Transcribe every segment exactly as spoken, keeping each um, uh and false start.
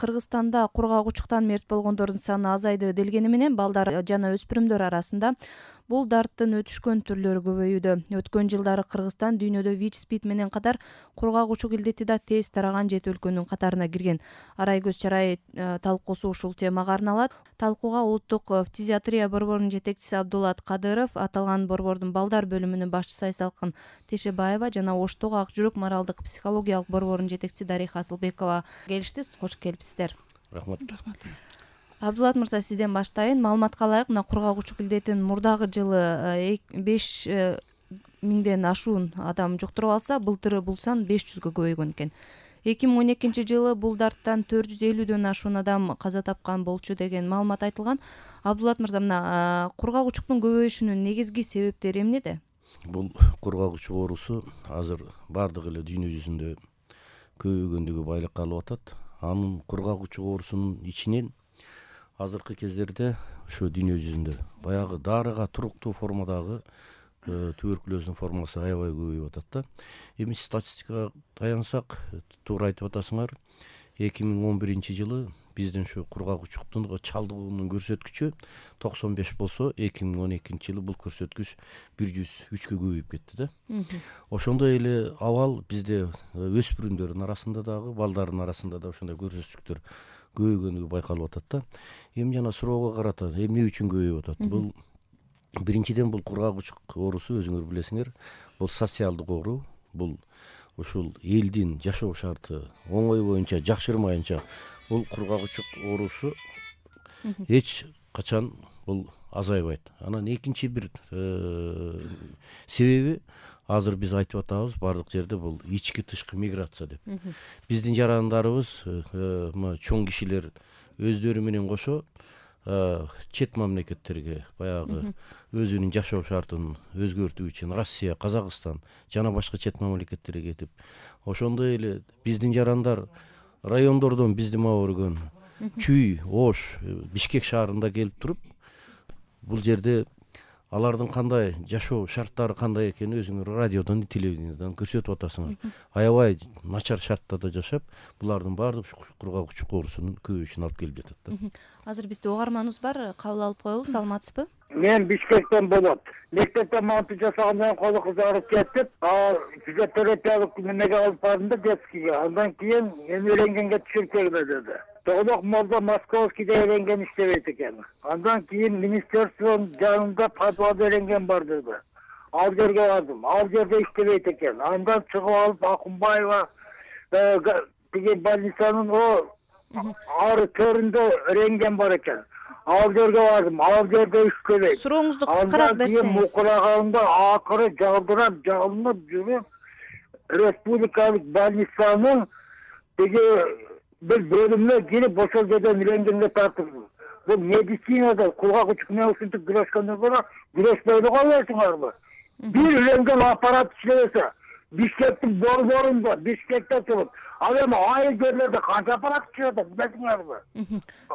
Кыргызстанда кургак учуктан мерт болгондордун саны азайды делгени менен балдар жана өспүрүмдөр арасында бул дарттын өтүшкөн түрлөрү көбөйүүдө. Өткөн жылдары Кыргызстан дүйнөдө ВИЧ СПИД менен катар кургак учук илдети да тез тараган жети өлкөнүн катарына кирген. Арай-көз чарай талкуусу ушул темага арналат. Талкууга улуттук фтизиатрия борборунун жетекчиси Абдулат Кадыров, аталган борбордун балдар бөлүмүнүн башчысы Айсалкын Тешебаева жана Оштогу Ак жүрөк моралдык психологиялык борборунун жетекчиси Дариха Асылбекова келишти. Кош келипсиздер. Рахмат. Абдулат мырза, сизден баштайын. Маалыматка ылайык, мына кургак учук илдетин мурдагы жылы беш миңден ашуун адам жуктуруп алса, былтыры бул сан беш жүзгө көбөйгөн экен. эки миң он экинчи жылы бул дарттан төрт жүз элүүдөн ашуун адам каза тапкан болчу деген маалымат айтылган. Абдулат мырза, мына кургак учуктун көбөйүшүнүн негизги себептери эмнеде? Бул кургак учук оорусу азыр бардык эле дүйнө жүзүндө көбөйгөндүгү байлыкка алып атат. Анын кургак учук оорусунун ичинен азыркы кездерде ошо дүйнө жүзүндө баягы дарыга туруктуу формадагы туберкулездин формасы аябай көбөйүп атат да. Эми статистикага таянсак, туура айтып атасыңар, эки миң он биринчи жылы биздин ушу кургак учуктун чалдыгуунун көрсөткүчү токсон беш болсо, эки миң он экинчи жылы бул көрсөткүч бир жүз үчкө көбөйүп кетти да. Ошондой эле абал бизде өспүрүмдөрдүн арасында дагы, балдардын арасында да ошондой көрсөткүчтөр көбөйгөнүгү байкалып атат да. Эми жана суроого карата, эмне үчүн көбөйүп атат? Бул биринчиден бул кургак учук оорусу, өзүңөр билесиңер, бул социалдык оору. Бул ушул элдин жашоо шарты оңой боюнча жакшырмайынча бул кургак учук оорусу эч качан бул азайбайт. Анан экинчи бир себеби азыр биз айтып атабыз бардык жерде бул ички тышкы миграция деп. Биздин жарандарыбыз, чоң кишилер өздөрү менен кошо чет мамлекеттерге баягы өзүнүн жашоо шартын өзгөртүү үчүн Россия, Казакстан жана башка чет мамлекеттерге кетип, ошондой эле биздин жарандар райондордон бизди мага көргөн Чүй, Ош, Бишкек шаарында келип туруп, бул жерде алардын кандай жашоо шарттары кандай экенин өзүңөр радиодон, телевидениядон көрсөтүп атасыңар. Аябай начар шарттарда жашап, булардын баардык кургак учук оорусунун көбөйүшүнө алып келип жатат да. Азыр бизде угарманыбыз бар, кабыл алып коелу. Саламатсызбы? Мен Бишкектен болот. Мектептен монтаж жасагандан колу кызарып кетип, физиотерапиялык немеге алып бардым да, детскийге. Андан кийин мен үйренгенге түшүркөгө деди. Тоголок молдо Московскийде үйренген иштебейт экен. Андан кийин министерствонун жанында подвал үйренген бар деди. Ал жерге бардым. Ал жерде иштебейт экен. Андан чыгып алып Акунбаева тиги больницанын о ары төрүндө үйренген бар экен. Ал жерге бардым. Ал жерде иштебейт. Сурооңузду кыскараак берсеңиз. Мукулаганда акыры жалдырап, жалынып жүрүп, республикалык больницанын тиги bir bölümüne girip ошол жерден үйренгенге тартылдым. Бул медицинада кургак учук менен ушинтип күрөшкөндөн көрө күрөшпөй калбайсыңарбы? Бир үйренген аппарат иштебесе, Бишкектин борборунда, Бишкекте туруп, ал эми айыл жерлерде канча аппарат иштеп атат, билесиңерби?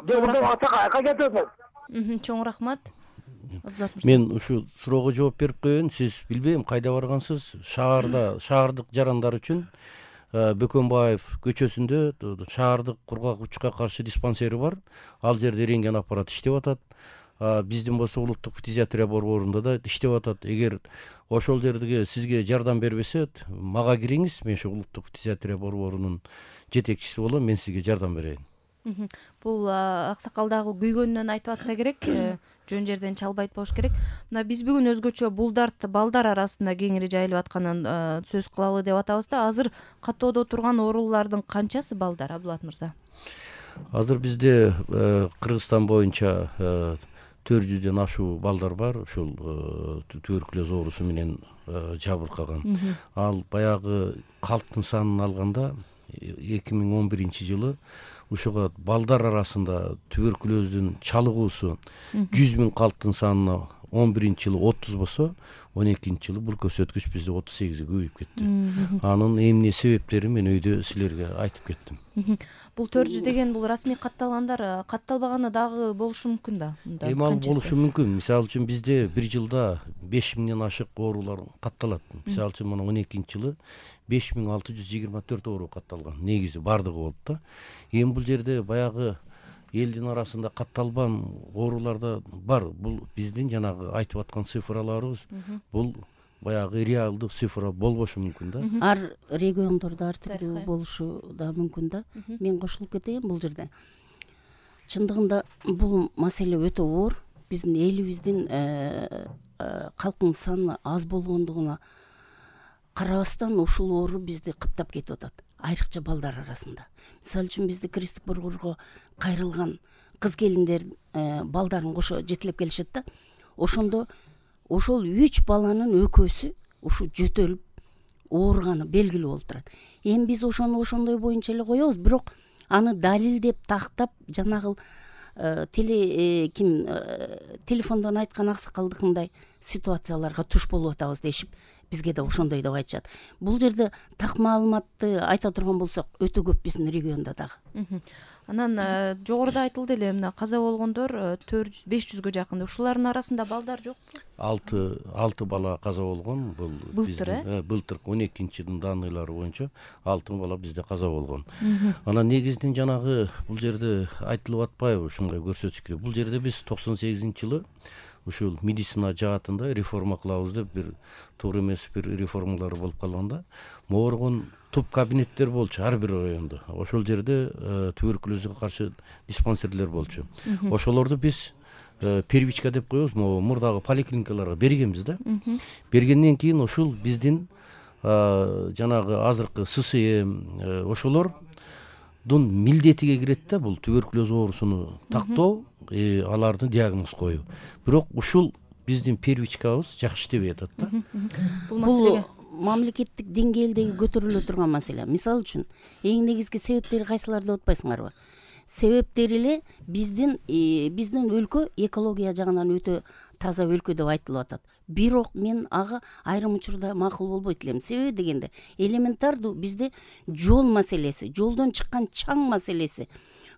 Бул ата кайка кетет? Чоң рахмат. Мен ушу суроого жооп берип коеюн. Сиз билбейм кайда баргансыз? Шаарда, шаардык жарандар үчүн Бөкөнбаев көчөсүндө шаардык кургак учукка каршы диспансери бар. Ал жерде үйренген аппарат иштеп атат. Биздин болсо улуттук фтизиатрия борборунда да иштеп атат. Эгер ошол жерге сизге жардам бербесе, мага кириңиз. Мен ошо улуттук фтизиатрия борборунун жетекчиси болом. Мен сизге жардам берейин. Бул аксакал дагы күйгөнүнөн айтып атса керек, жөн жерден чалбайт болуш керек. Мына биз бүгүн өзгөчө бул дарт балдар арасында кеңири жайылып атканын сөз кылалы деп атабыз да. Азыр каттоодо турган оорулардын канчасы балдар, Абдулат мырза? Азыр бизде Кыргызстан боюнча төрт жүздөн ашуу балдар бар, ушул туберкулез оорусу менен жабыркаган. Ал баягы калктын санын алганда эки миң он биринчи жылы ушуга балдар арасында туберкулездин чалыгуусу жүз миң калктын санына он биринчи жылы отуз болсо он экинчи жылы бул көрсөткүч бизде отуз сегизге көбөйүп кетти. Анын эмне себептерин мен өйдө силерге айтып кеттим. Бул төрт жүз деген бул расмий катталгандар, катталбаганы дагы болушу мүмкүн да. Эми ал болушу мүмкүн. Мисалы үчүн бизде бир жылда беш миңден ашык оорулар катталат. Мисалы үчүн мына он экинчи жылы беш миң алты жүз жыйырма төрт оору катталган. Негизи бардыгы болуп да. Эми бул жерде баягы элдин арасында катталбан оорулар да бар. Бул биздин жанагы айтып аткан цифраларыбыз бул баягы реалдуу цифра болбошу мүмкүн да. Ар региондордо ар түрдүү болушу да мүмкүн да. Мен кошулуп кетейин бул жерде. Чындыгында бул маселе өтө оор. Биздин элибиздин калктын саны аз болгондугуна карабастан ушул оору бизди кыптап кетип атат, айрыкча балдар арасында. Мисалы үчүн бизде кресттик борборго кайрылган кыз келиндер балдарын кошо жетелеп келишет да. Ошондо ошол үч баланын экөөсү ушу жөтөлүп ооруганы белгилүү болуп турат. Эми биз ошону ошондой боюнча эле коебуз, бирок аны далилдеп тактап жанагыл теле ким телефондон айткан аксакалдыкындай ситуацияларга туш болуп атабыз дешип, бизге да ошондой деп айтышат. Бул жерде так маалыматты айта турган болсок, өтө көп биздин региондо дагы. Анан жогоруда айтылды эле, мына каза болгондор төрт жүз беш жүзгө жакын. Ушулардын арасында балдар жокпу? алты алты бала каза болгон. Бул былтыр, былтыр он экинчи жылдын данныйлары боюнча алты бала бизде каза болгон. Анан негизинен жанагы бул жерде айтылып атпайбы ушундай көрсөткүчкө? Бул жерде биз токсон сегизинчи жылы ушул медицина жаатында реформа кылабыз деп бир туура эмес бир реформалар болуп калганда, мооргон туп кабинеттер болчу ар бир райондо. Ошол жерде туберкулезге каршы диспансерлер болчу. Ошолорду биз первичка деп коебуз, могу мурдагы поликлиникаларга бергенбиз да. Бергенден кийин ушул биздин жанагы азыркы ССМ ошолордун милдетиге кирет да, бул туберкулез оорусуну тактоо, алардын диагноз коюу. Бирок ушул биздин первичкабыз жакшы иштебей атат да. Бул маселеге мамлекеттик деңгээлдеги көтөрүлө турган маселе. Мисалы үчүн, эң негизги себептери кайсылар деп атпайсыңарбы? Себептери эле биздин биздин өлкө экология жагынан өтө таза өлкө деп айтылып атат. Бирок мен ага айрым учурда макул болбойт элем. Себеби дегенде, элементардуу бизде жол маселеси, жолдон чыккан чаң маселеси,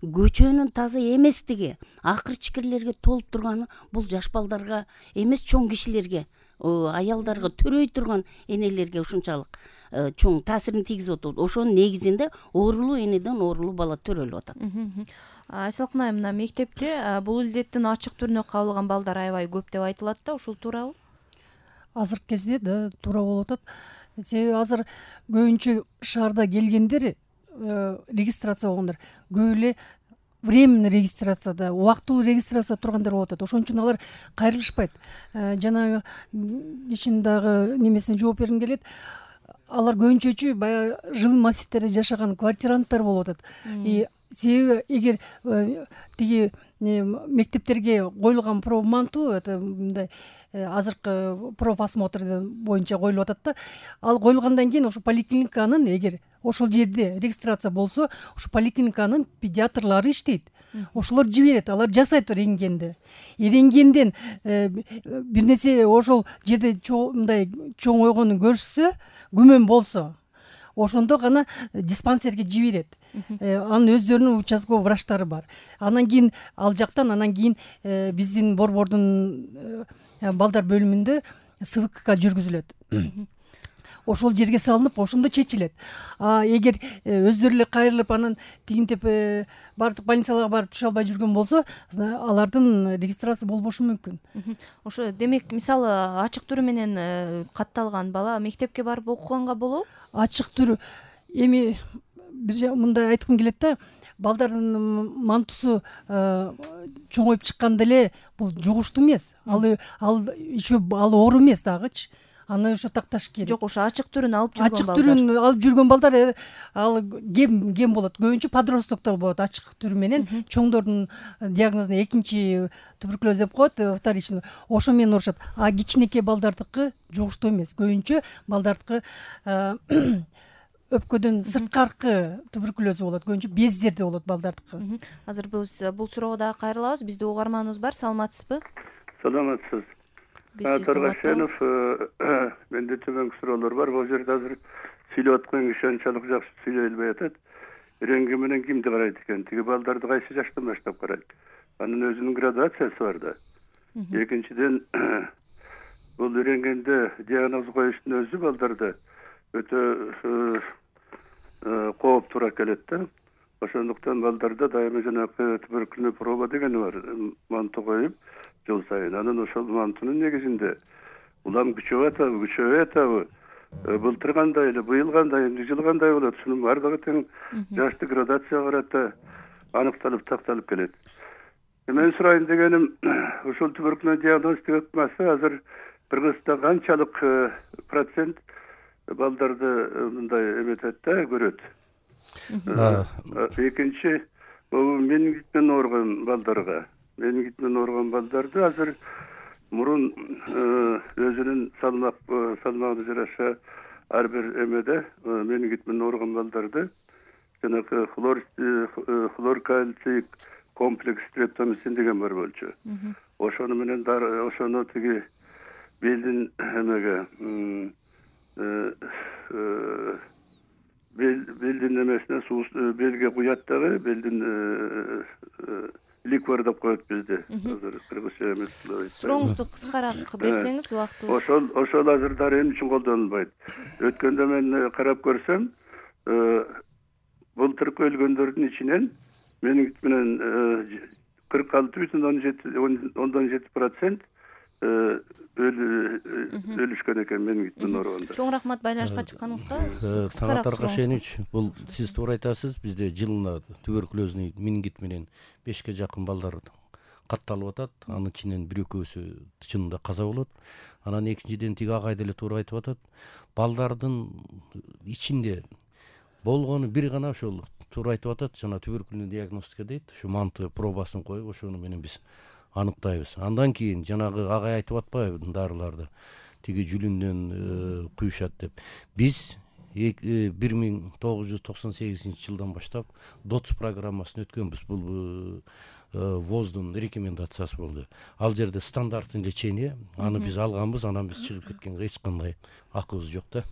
көчөнүн таза эместиги, акыр чикирлерге толуп турганы бул жаш балдарга эмес, чоң кишилерге, аялдарга, төрөй турган энелерге ушунчалык чоң таасирин тийгизип атат. Ошонун негизинде оорулуу энеден оорулуу бала төрөлүп атат. Айсалкын айым, мына мектепте бул илдеттин ачык түрүнө кабылган балдар аябай көп деп айтылат да, ушул туурабы? Азыркы кезде да туура болуп атат. Себеби азыр көбүнчө шаарда келгендер, регистрация болгондор көп эле временный регистрацияда, убактылуу регистрация тургандар болуп атат. Ошон үчүн алар кайрылышпайт. Жанагы кишинин дагы немесине жооп бергим келет. Алар көбүнчөчү баягы жыл массивтерде жашаган квартиранттар болуп атат. И себеби эгер тиги мектептерге коюлган профманту, это мындай азыркы профосмотр боюнча коюлуп атат да. Ал коюлгандан кийин ошо поликлиниканын, эгер ошол жерде регистрация болсо, ушу поликлиниканын педиатрлары иштейт. Ошолор жиберет, алар жасайт рентгенди. Рентгенден бир нерсе ошол жерде мындай чоң ойгонун көрүшсө, күмөн болсо, ошондо гана диспансерге жиберет. Анын өздөрүнүн участковый врачтары бар. Анан кийин ал жактан анан кийин биздин борбордун балдар бөлүмүндө СВКК жүргүзүлөт. Ошол жерге салынып, ошондо чечилет. А эгер өздөрү эле кайрылып, анан тигинтип бардык больницаларга барып түшө албай жүргөн болсо, алардын регистрация болбошу мүмкүн. Ошо демек, мисалы, ачык түрү менен катталган бала мектепке барып окуганга болобу? Ачык түрү эми бир мындай айткым келет да, балдардын мантусу чоңоюп чыкканда эле бул жугуштуу эмес. Ал ал еще ал оору эмес дагычы. Аны ошо такташ керек. Жок, ошо ачык түрүн алып жүргөн балдар. Ачык түрүн алып жүргөн балдар ал кем кем болот. Көбүнчө подростоктор болот ачык түрү менен. Чоңдордун диагнозуна экинчи туберкулез деп коет, вторичный. Ошо менен урушат. А кичинекей балдардыкы жугуштуу эмес. Көбүнчө балдардыкы өпкөдөн сырткаркы туберкулез болот. Көбүнчө бездерде болот балдардыкы. Азыр биз бул суроого дагы кайрылабыз. Бизде угарманыбыз бар. Саламатсызбы? Саламатсыз. Торгашенов, менде төмөнкү суроолор бар. Бул жерде азыр сүйлөп аткан киши анчалык жакшы сүйлөй албай атат. Үйрөнгөн менен кимди карайт экен? Тиги балдарды кайсы жаштан баштап карайт? Анын өзүнүн градациясы бар да. Экинчиден, бул үйрөнгөндө диагноз коюштун өзү балдарда өтө кооптуура келет да. Ошондуктан балдарда дайыма жанагы туберкулезный проба деген бар. Манту коюп жыл сайын. Анан ошол мантунун негизинде улам күчөп атабы, күчөбөй атабы, былтыр кандай эле, быйыл кандай, эмне жыл кандай болот, ушунун баардыгы тең жашты градацияга карата аныкталып такталып келет. Мен сурайын дегеним, ушул туберкулез диагностикасы азыр Кыргызстанда канчалык процент балдарды мындай эметет да, көрөт. Экинчи, менингит менен ооруган балдарга, менингит менен ооруган балдарды азыр мурун өзүнүн салмак салмагына жараша ар бир эмеде менингит менен ооруган балдарды жанагы хлор хлор кальций комплекс стрептомицин деген бар болчу. Ошону менен ошону тиги белдин эмеге белдин эмесине суу белге куят дагы, белдин ликвор деп коет бизде. Азыр кыргызча эмес. Сурооңузду кыскараак берсеңиз убактыбыз. Ошол ошол азыр дары эмне үчүн колдонулбайт? Өткөндө мен карап көрсөм, былтыркы өлгөндөрдүн ичинен менингит менен кырк алты бүтүн ондон жети процент өлүшкөн экен менингит менен ооруганда. Чоң рахмат байланышка чыкканыңызга. Саңат Аркашенович, бул сиз туура айтасыз. Бизде жылына туберкулезный менингит менен бешке жакын балдар катталып атат. Анын ичинен бир экөөсү чынында каза болот. Анан экинчиден тиги агай деле туура айтып атат. Балдардын ичинде болгону бир гана ошол туура айтып атат. Жана туберкулезный диагностика дейт. Ушу манты пробасын коюп, ошону менен биз аныктайбыз. Андан кийин жанагы агай айтып атпайбы дарыларды тиги жүлүндөн куюшат деп. Биз бир миң тогуз жүз токсон сегизинчи жылдан баштап ДОЦ программасын өткөнбүз. Бул ВОЗдун рекомендациясы болду. Ал жерде стандартный лечение, аны биз алганбыз, анан биз чыгып кеткенге эч кандай акыбыз жок да.